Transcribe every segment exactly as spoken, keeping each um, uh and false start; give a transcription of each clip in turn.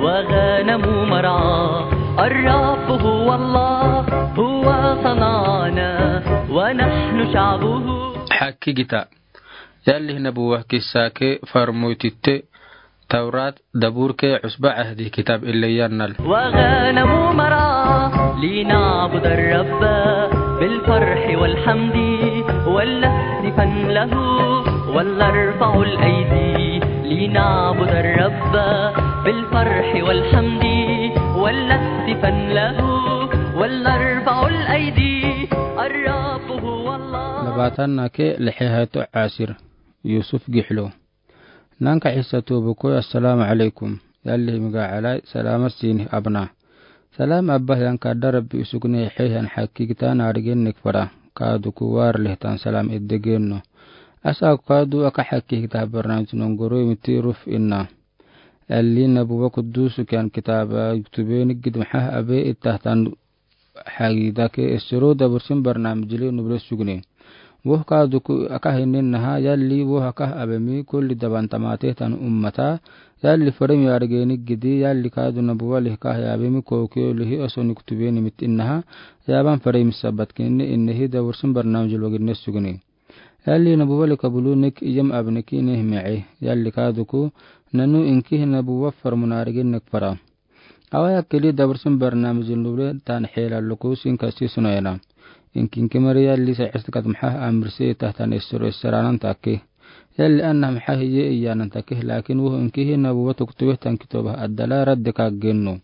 وغنم مرعى. الرب هو الله، هو صنعنا ونحن شعبه. Hakkigita. Yalli nabuwa kissa ke farmoytitte Tawrat, Dabur ke Usba Ahdi kitab ille yannal. وغنم مرعى. لنعبد الرب بالفرح والحمد ولنهتفن له ولنرفع الأيدي. لنعبد الرب بالفرح والحمد ولنهتفن له ولنرفع الأيدي. الرب هو الله. Labaatan na ke lixi hayto asir. Yusuf Gixlo. Nanka Isa tobo ko, assalaamu alaykum. Yalli miga alay, salaamat sinih abna. Salaam abba, yan ka darab bi usugni xeexan xakki kita na arigen nik fara. Kaadu ku war lehtan salaam edde genno. Asa kaadu aka xakki kita barnamij nongoro imiti ruf inna. Yalli nabuwa kuddusu kiyan kitaba yuktube nik gidmaxa abe ittahtan xagida ke essero dabursin barnamijli nuble sugne. Woh kaadu ku aka hinin naha, yalli woh aka abemi kulli daban tamate tan ummata, yalli faremi argeni gidi, yalli kaadu nabuwa lih ka abemi kokiyo lihi oso ni kutubeni mit innaha, yaban faremi sabat kinni innehi dabursin barnamijli wagidne sugne. Yalli nabuwa lih kabulu nik iyam abneki nih me'e, yalli kaadu ku nanu inki nabuwa farmun argeni nik fara. Awa ya keli dabursin barnamijin luble tan xelallo ko sin kasi sunayana. Inkinki mari yalli sa istikat maxa amrisi tahtan essero esseranan take. Yalli anna maxa hiye iyanan take, lakin woh inkihi nabuwa tuktube tan kitoba addala radde ka genno.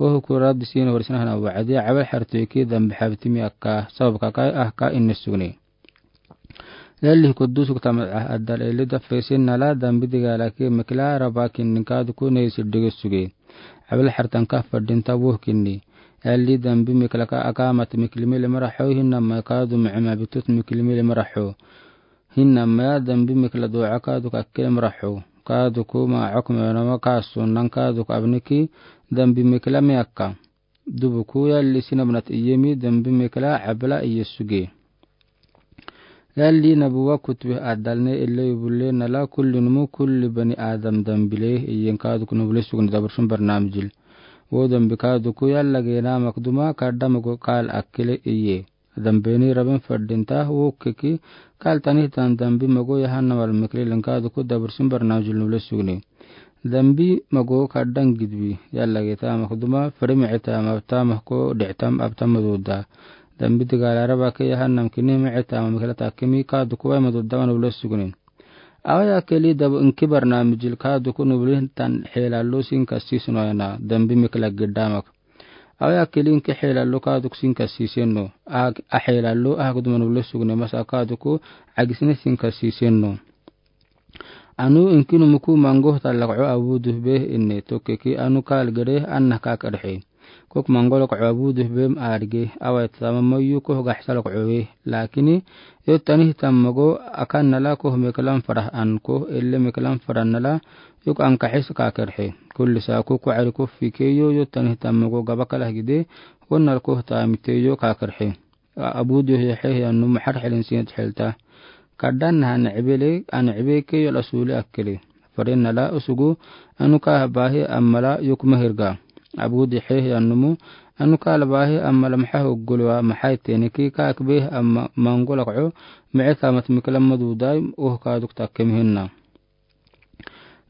Woh ku radde sin warisna hana wa'adi awal xartu iki dambi xabtimi akka sabab kakai ahka inne sugne. Yalli kuddusu kutama addal eli dafesin nala dambi digalaki mikla raba kinnin kaadu ku nei siddige suge. Abil xartan ka fadin tabuh kinni. Yalli dambi miklaka akamat miklimi limaraxo hinna ma kaadu micima bitut miklimi limaraxo. Hinna ma dambi mikla du'a kaadu kakke limaraxo. Kaadu ku ma okme nama kasu nan kaadu ku abniki dambi mikla miyakka. Dubu ku yalli sinabnat iyemi dambi mikla abla iye suge. Yalli nabuwa kutube addalne ille yubulle nala kulli numu kulli bani Adam dambile iyen kaadu ku nubule sugne dabursin barnamijil. Wo dambi kaadu ku yalla gena makduma kadda mago kal akkele iye. Dambeni rabin fadinta wo keki kal tanih tan dambi mago yahannamal mikle len kaadu ku dabursin barnamijil nubule sugne. Dambi mago kaddan gidbi, yalla geta makduma, fari micita mabta mahko dictam abtam maduda. Dambi digala raba ke yahannam kini micita mamikla takimi kaadu ku wai maduda ma nubule sugne. Awa ya keli dabu inki barnamijil kaadu ku nubule tan xelallo sin kasi sunayana, dambi mikla giddamak. Awa ya keli inki xelallo kaadu ku sin kasi senno. A xelallo aha kuduma nubule sugne masa kaadu ku agisne sin kasi senno. Anu inki numu ku mango talakco abuduh beh inne tokkeki anu kal gere anna ka kerxe. Kok mango lakco abuduh bem arge awai tama mayu koh gaxsa lakco we. Lakini yo tanih tam mago akan nala koh meklam farah an koh elle meklam farah nala yuk ankaxis ka kerxe. Kulli sa ku kucari koh fikeyo yo tanih tam mago gabakalah gide wonnal koh tamiteyo ka kerxe. Abuduh yaxehe anu maxar xilin sinit xilta. Kaddan naha nicbele anicbe ke yol asuli akkele. Farin nala usugu anu ka bahi ammala yukma hirga. Abuduh yaxehe anumu anu ka labahi ammala maxa hoggolwa maxay teniki ka akbeh amma mango lakco mice tamat miklam madudai uh ka duk takke mihinna.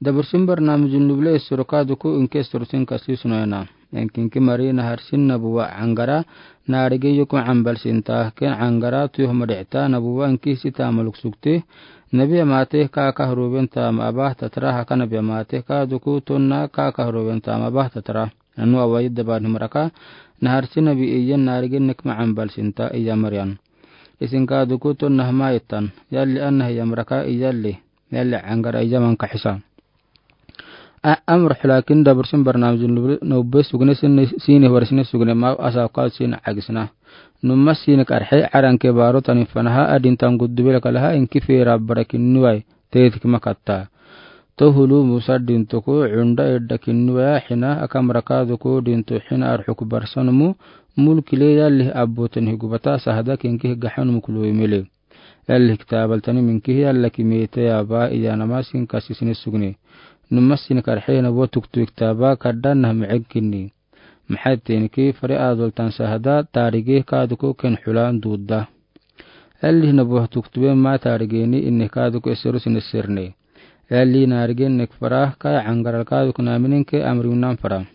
Dabursin barnamijin nubule essero kaadu ku inki essero sin kasi sunayana. Inkinki mari naharsin nabuwa angara narigi yukma ambal sinta ken angara tuyoh madicta nabuwa inki sita maluk sukte. Nabi amate ka kahruben tama abah tatra haka nabi amate kaadu ku tonna ka kahruben tama abah tatra. Anu awai daban himraka naharsin nabi iyan narigi nikma ambal sinta iya marian. Isin kaadu ku tonna hama itan yalli anna hiyamraka iyalli. Yalli angara ijaman kaxisa. Amr xulakin dabursin barnamijin nubbe sugne sini warisne sugne ma asa kaadu sin agisna. Numma sini karxe aranke baro tani fanaha adin tan guddu bela kalaha inki fera barakin nuwai tetik makatta. Tohulu musa dinto ko cunda eddakin nuwaya xina akamra kaadu ko dinto xina arxuk barsanumu mulkile yalli abboten higubata sahada kinki higaxanum kuloimele. Yalli kitaabaltani minkihi yalla ki meete yaaba iyanama sin kasi sine sugne. Numa sini karxei nabuwa tuktube kitaaba kadhan nah miceg kinni. Maxaa teeniki fare adoltan sahda taarige kaaduku ken xulaan duudda. Yalli nabuwa tuktube ma taarigeeni inne kaaduku esero sine serne. Yalli naarigen nek fara kaya cangaral kaaduku naaminen ke amrinan fara.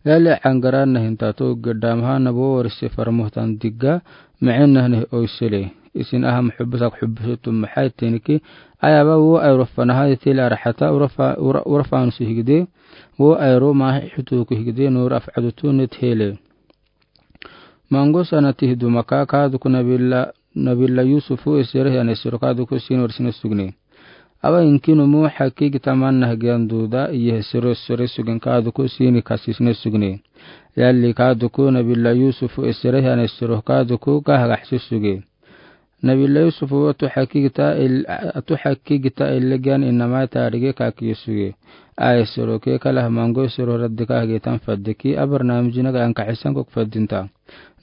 Yalli cangara nahinta to gedamaha nabuwa warise faramohtan digga micen nah ne oisele. Isin aha muxubbas ak xubbasu tum maxaa teeniki ayaba wo ayro fanaha tele araxata urafa ura- urafa nusi higde. Wo ayro mahi xutuku higde nor af cadutu net hele. Mango sana tih dumaka kaaduku nabila nabila Yusufu esere hane sero kaaduku sini warisine sugne. Awa inki numu xaki gita manna hagiyan duuda iye sero sere sugen kaaduku sini kasi sine sugne. Yalli kaaduku nabila Yusufu esere hane sero kaaduku kahagaxsi suge. Nabila Yusufu atu xaki gita el- atu xaki gita elle giyan inamai taarige kaki suge. Aye sero ke kalah mango sero radde kahagetan faddeki abarnaamijinaga ankaxisan kok faddinta.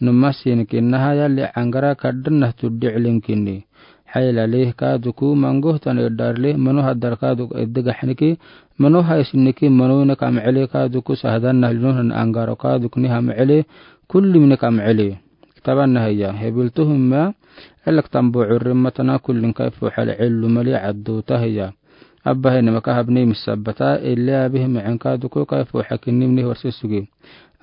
Numa sini kinnaha yalli cangara kadhan nah tuddi cilin kinni. Xayla leh kaaduku mango tan edar leh mano hadar kaaduk edde gaxniki mano haysinniki mano ina kamcele kaaduku sahdan nah lino han angaro kaaduk ni hamcele kulli mine kamcele. Kitaban nah ya hebiltu humma elek tambo curri matana kullin kaifu xal cellu mali cadduta hiya. Abba hene maka habne misabbata elle abih micen kaaduku kaifu xakinni mine horse suge.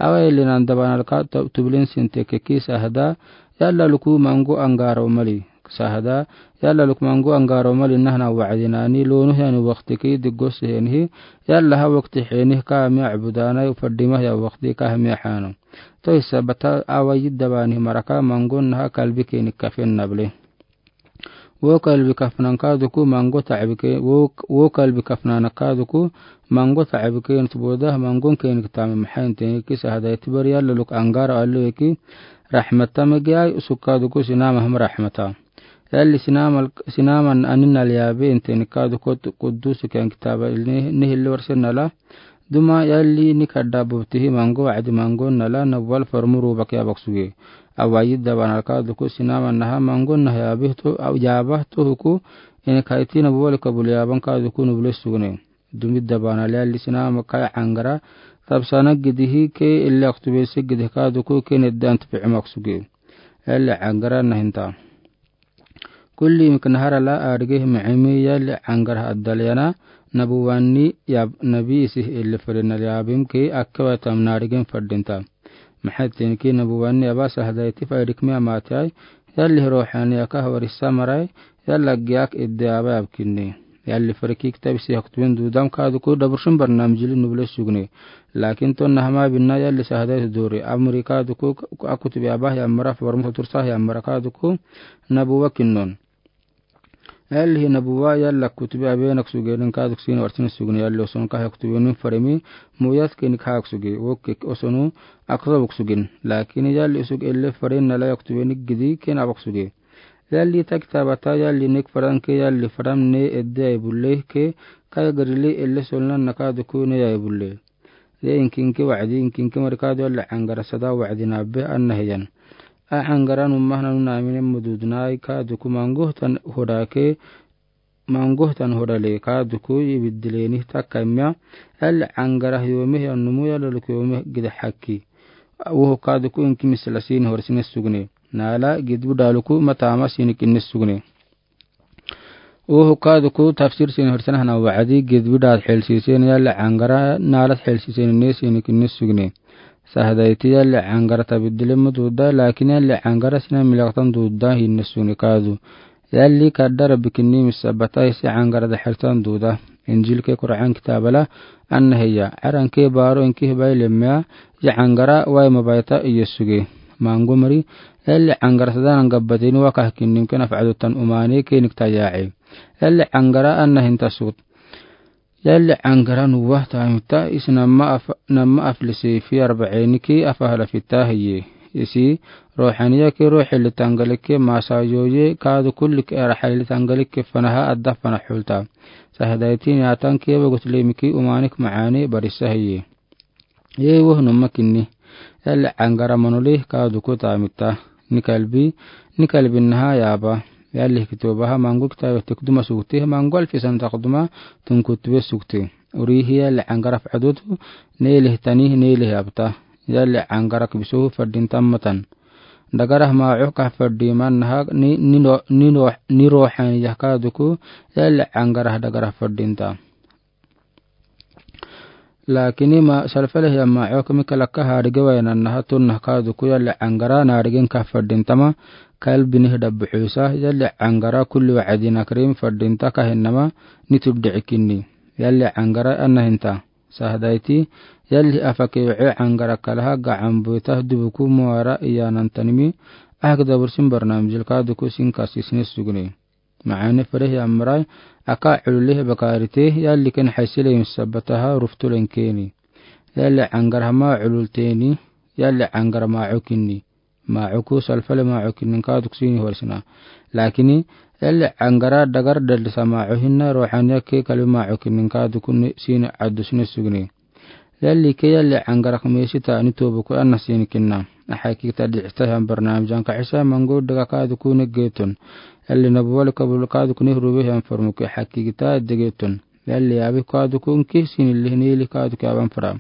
Awa ellinan dabanal ka tublin sinte keki sahda yalla luku mango angaro mali. Sahda yalla luku mango angaro mali nahna wacdinani lonu heni waqtiki diggos henihi yalla ha waqti henihi ka mi acbudanai fadimah ya waqti ka mi xano. To isabata awa yidda bani maraka mango naha kalbi keni kafen nable. Wo kalbi kafnan kaaduku mango tacbi ke wo wo kalbi kafnan kaaduku mango tacbi ke nut boda mangon keni kitame maxaa teeniki sahda itibari yalla luk angaro allo eki. Raxmata magi ay usuk kaaduku sinama ham raxmata. Yalli sinamal sinaman aninal yaabe inteni kaaduku quddus ken kitaba nihilli warse nala. Duma yalli nika dabubtihi mango wacdi mango nala nabuwal formuru baki abak suge. Awayi dabanal kaaduku sinaman naha mango nah yaabahto huku. Ini kaiti nabuwal kabul yaaban kaaduku nubule sugne. Dumi dabanal yalli sinama kaya cangara tabsana gidihi ke illi aktubese gidih kaaduku ke neddan tupici mak suge. Yalli cangara nahinta. Kulli mik naharala arigih micimi yalli cangara addal yana nabuwani yab nabi isih illi fadinal yaabim ke akkewa tamna arigin fadinta. Maxaa teeniki nabuwani aba sahdayti faydik mi amaatay yalli ruuxaniyaka hawarisa maray yalla giyak idde aba yabkinni. Yalli fariki kitabisi haktubin dudam kaaduku daburshun barnamijili nubule sugne. Laakin to nahama binna yalli sahdayti duri amri kaaduku akutbi aba yammara formu tursah yammara kaaduku nabuwa kinnon. Yalli hi nabuwa yalla kutbi abenak sugenin kaaduk sini warsin sugne yalli oson kaha kutbinin farimi muyat kenik haak suge wokkek osonu akzabuk sugin. Laakin yalli usug elle farin nala yaktubini gidi ken abak suge. Yalli ta kitabata yalli nek faran ke yalli faram ne edde ay bulle ke kaya garili elle solnan nakaaduku ne ay bulle. Ye inkinki wacdi inkinki marikaadu yalli cangara sada wacdi nabbe anna hiyan. A cangara numahna nuna aminen mududnai kaaduku mangohtan hodake mangohtan hodale kaaduku ibiddileni takka imya. Yalli cangara yomih yan numu yallaluk yomih gida xaki. Woho kaaduku inki misla sini horsine sugne. Nala gidbu daluku matama sini kinni sugne. Woho kaaduku tafsir sini horsine hana wacdi gidbu daad xelsisen yalli cangara nalad xelsisen ne sini kinni sugne. Sahdayti yalli cangara tabiddile mududa laakin yalli cangara sina milaktan duda hinne sugne kaadu. Yalli kadda rabbi kinni misabata isi cangara daxeltan duda. Injil ke Qur'an kitabala anna hiya caran ke baro inki hibai lemmeya ya cangara wai mabaita iyo suge. Mango mari yalli cangara sadanan gabbateni wakah kinnim ke nafcadotan umane kenik tayaace. Yalli cangara anna hinta sut. Yalli cangara nuwa tamita isi nama af nama aflisi fi arbaceni ke afahala fita hiye. Isi ruuxaniya ke ruuxi litangalikke masayoye kaadu kullik eraxali litangalikke fanaha adda fana xulta. Sahdayti niyatan ke bagut lemiki umanik macaane barisa hiye. Yee woh numa kinni. Yalli cangara manoli kaaduku tamita. Nikalbi nikalbi naha yaaba. Yalli kitoobaha maŋgo kitaabe tek duma sugte, maŋgo alfi sana taq duma tunkutiwe sugte. Uriihi yalli aŋgara fadot, neelih tani, neelih abta. Yalli aŋgara kibisohu fadinta matan. Dagarah maaco ka fadimanaha ni, ni no, ni no, ni roxan yah kaaduku, yalli aŋgara dagarah fadinta. Lakin ma salfaleh ya maaco kami kalaka harige wayananaha tonna kaaduku yalli aŋgara narigen ka fadintama, kalbineh dabbuxusa, yalli aŋgara kulli wacdina karim fadinta kahinama, ni tubdici kinni. Yalli aŋgara anahinta. Sahdaiti, yalli afake wace aŋgara kalaha gacan boita dubuku moara iyanantanimi, ahak dabursin barnamijil kaaduku sin kasisne sugne. Maane fereh ya marai, aka cululeh bakarite, yalli ken xaisile misabataha ruftulen keni. Yalli aŋgara hama cululteni, yalli aŋgara maaco kinni. Maaco ku salfaleh maaco kinni kaaduku sini horisna. Lakini, yalli aŋgara dagar dalisa maaco hinna roxaniya ke kalbi maaco kinni kaaduku sini adusne sugne. Yalli ke yalli aŋgara kamisita ni tobuku ana sini kinna. Ahakikta dicita han barnamij anka isa maŋgo daga kaaduku ni geton. Yalli nabuwali kabul kaaduku ni rube han farmuke ahakikta degeton. Yalli abi kaaduku nki sini lih ni lih kaaduku aban fara.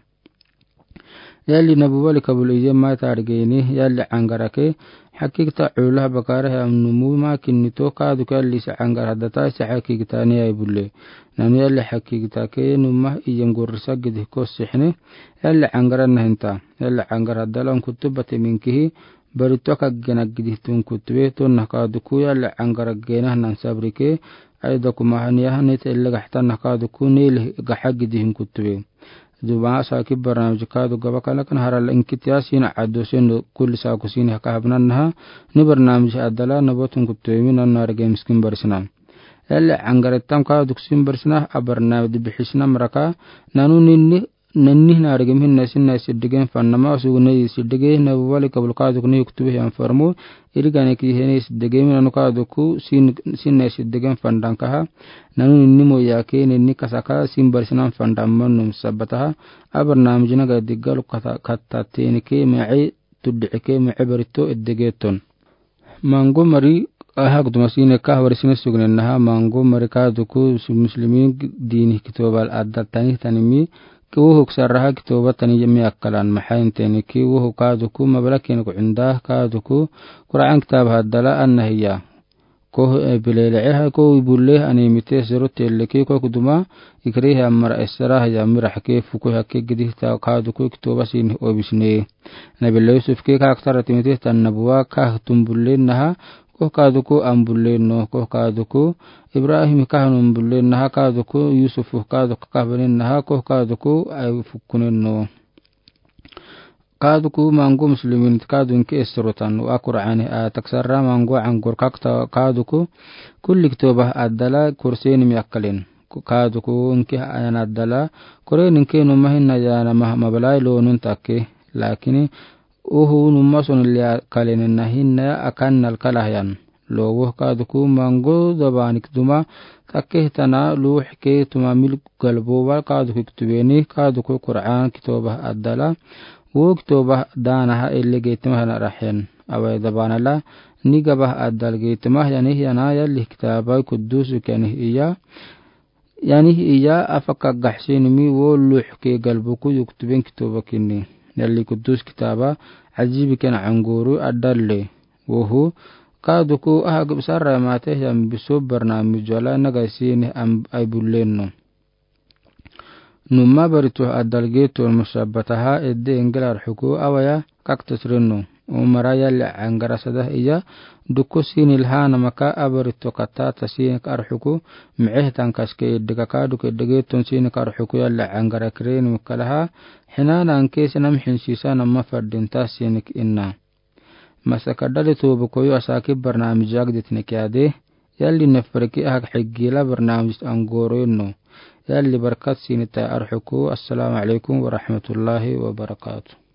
Yalli nabuwali kabul iye mata argeni, yalli aŋgara ke, hakikta culula bakara he amnumu ma kinni to kaaduku yalli sa aŋgara data sa hakikta ni ai bulle. Nanu yalli hakikta ke numa iyem gorisa gidi kosihne, yalli aŋgara nahinta, yalli aŋgara dalan kutubate minkihi, bari toka gena gidi tun kutube, tonna kaaduku yalli aŋgara gena nan sabrike, ai doku mahani yahane telle gahta na kaaduku nili gaha gidi hin kutube. Duba saki barnamij kaadu gaba kala kan harala inkitiya sina addo sendo kulli saku sini haka habnannaha, ni barnamij adala nabotun kuttoyimi nanu narege miskin barisna. Yalli aŋgara tam kaadu kusin barisna, a barnamij bihisna maraka, nanu ninni, ninni narege mihinna sinna siddigen fannama, sugu nei siddige, nabuwali kabul kaadu kuni yuktube yan farmu, Irigane ki hene siddigen mi nanu kaaduku sin, sinna siddigen fandankaha. Nanu ninni moyake, ninni kasaka, sin barisinan fandaman num sabataha. A barnamij naga diggalu kata, kata tenike, mece, tuddi'ike, mece barito, eddegeton. Maŋgo mari, ahak duma sine kah barisine sugnennaha, maŋgo mari kaaduku, su muslimin diini kitobal adda tani tanimi, Ki wohuk sarraha kitoba tani yemi akkalan maha inteni ki wohuk kaaduku mabala ken ku inda kaaduku Qur'an kitabaha dala anna hiya. Koh, eh, bilele'eha koh ibulle ani mite zero telle ki koh kuduma ikriha mara esraha ya mirah ke fuku hake gidihta kaaduku kitoba sini obisne. Nabila Yusuf ke kaaktara timite tan nabuwa kah tumbulle naha Koh kaaduku ambullenno, koh kaaduku Ibrahim kahnum bullennaha, kaaduku Yusuf kaaduku kahbaninnaha, koh kaaduku ai fukkunenno. Kaaduku maŋgo muslimin kaadunki esrotan wa Qur'ani a taksarra maŋgo aŋgor kakta kaaduku kulli kitoba adala kursenimi akkalen. Kaaduku inki ayan adala kore ninki numahin na yana mabalai lonun takke. Lakini Uhu numa soni lia kalene nahin na akan nal kalahayan. Lowo kaaduku maŋgo dabanik duma takke tana luh ke tuma mil galbo wal kaaduku kituweni kaaduku Qur'an kitoba adala. Wo kitoba danaha elege tuma hana rahen. Awai dabanala ni gaba adal ge tuma yani yana yalli kitaba kudusu kani iya. Yani iya afaka gahsinimi wo luh ke galbuku yuktuben kitoba kinni. Yalli kudus kitaba ajibi ken aŋguru adalle. Wohu kaaduku aha gibsarra mate yam bisu barnamij wala nagasini am ai bullenno. Numa barituh adal geton musabataha edde engel arhuku awaya kaktasrenno. Umara yalli aŋgara sadah iya duku sini lhana maka abari tokata ta sini karhuku miceh tangkas ke idde kaka duke dege ton sini karhuku yalli aŋgara kren mukalaha hina nanke sinam hinsisa nama fardinta sini inna. Masaka dali tubu koyu asaki barnamij agdit nekiade yalli neferki ahak higila barnamij angoro inno. Yalli barkat sini ta arhuku. Assalamu alaikum warahmatullahi wabarakatuh.